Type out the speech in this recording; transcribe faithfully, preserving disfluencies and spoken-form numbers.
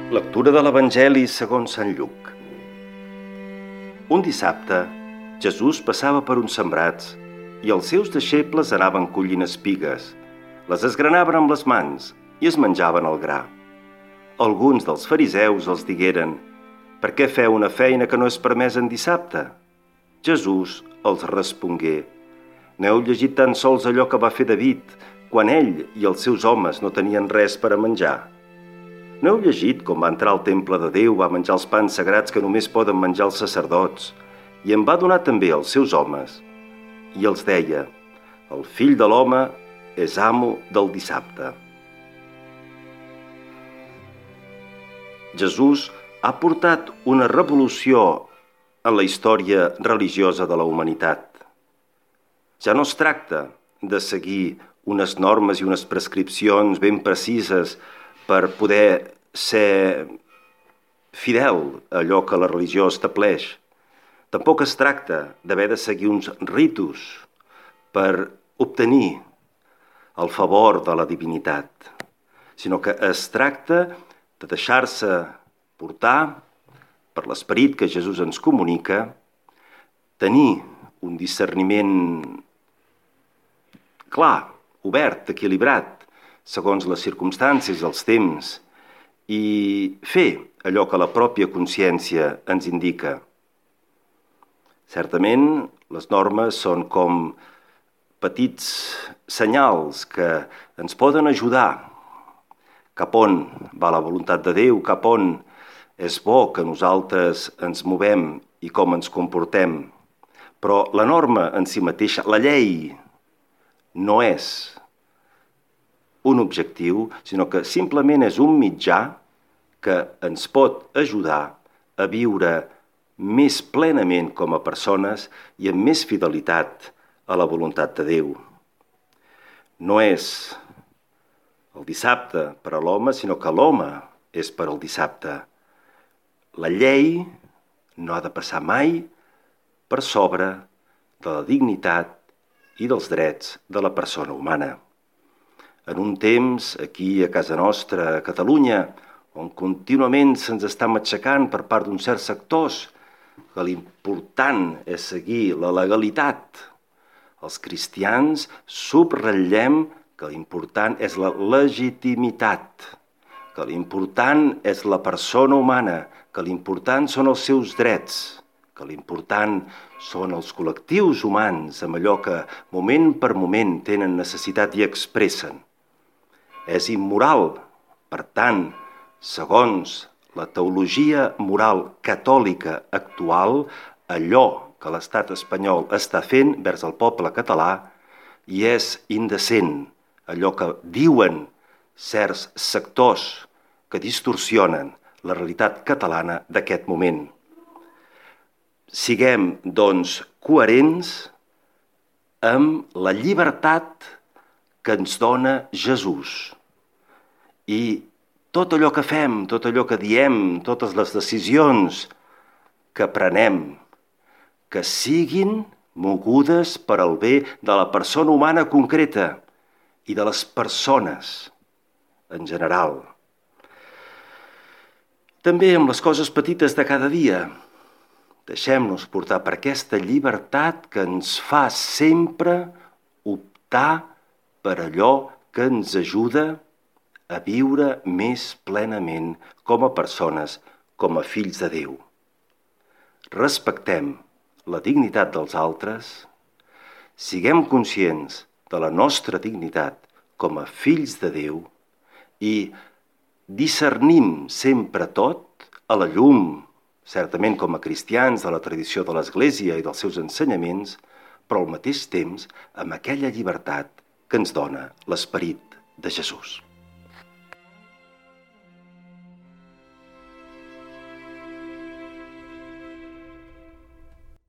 Lectura de l'Evangeli segons Sant Lluc. Un dissabte, Jesús passava per uns sembrats i els seus deixebles anaven collint espigues, les esgranaven amb les mans i es menjaven el gra. Alguns dels fariseus els digueren: «Per què feu una feina que no és permesa en dissabte?» Jesús els respongué: «N'heu llegit tan sols allò que va fer David, quan ell i els seus homes no tenien res per a menjar? No heu llegit com va entrar al temple de Déu, va menjar els pans sagrats que només poden menjar els sacerdots, i en va donar també als seus homes? I els deia: el fill de l'home és amo del dissabte». Jesús ha portat una revolució en la història religiosa de la humanitat. Ja no es tracta de seguir unes normes i unes prescripcions ben precises per poder ser fidel a allò que la religió estableix. Tampoc es tracta d'haver de seguir uns ritus per obtenir el favor de la divinitat, sinó que es tracta de deixar-se portar per l'esperit que Jesús ens comunica, tenir un discerniment clar, obert, equilibrat, segons les circumstàncies i els temps, i fer allò que la pròpia consciència ens indica. Certament, les normes són com petits senyals que ens poden ajudar cap on va la voluntat de Déu, cap on és bo que nosaltres ens movem i com ens comportem. Però la norma en si mateixa, la llei, no és un objectiu, sinó que simplement és un mitjà que ens pot ajudar a viure més plenament com a persones i amb més fidelitat a la voluntat de Déu. No és el dissabte per a l'home, sinó que l'home és per al dissabte. La llei no ha de passar mai per sobre de la dignitat i dels drets de la persona humana. En un temps, aquí a casa nostra, a Catalunya, on contínuament se'ns està matxacant per part d'uns certs sectors que l'important és seguir la legalitat, els cristians subratllem que l'important és la legitimitat, que l'important és la persona humana, que l'important són els seus drets, que l'important són els col·lectius humans amb allò que moment per moment tenen necessitat i expressen. És immoral, per tant, segons la teologia moral catòlica actual, allò que l'estat espanyol està fent vers el poble català, i és indecent allò que diuen certs sectors que distorsionen la realitat catalana d'aquest moment. Siguem, doncs, coherents amb la llibertat que ens dona Jesús. I tot allò que fem, tot allò que diem, totes les decisions que prenem, que siguin mogudes per al bé de la persona humana concreta i de les persones en general. També amb les coses petites de cada dia. Deixem-nos portar per aquesta llibertat que ens fa sempre optar per allò que ens ajuda a viure més plenament com a persones, com a fills de Déu. Respectem la dignitat dels altres, siguem conscients de la nostra dignitat com a fills de Déu i discernim sempre tot a la llum, certament com a cristians de la tradició de l'Església i dels seus ensenyaments, però al mateix temps amb aquella llibertat que ens dona l'esperit de Jesús.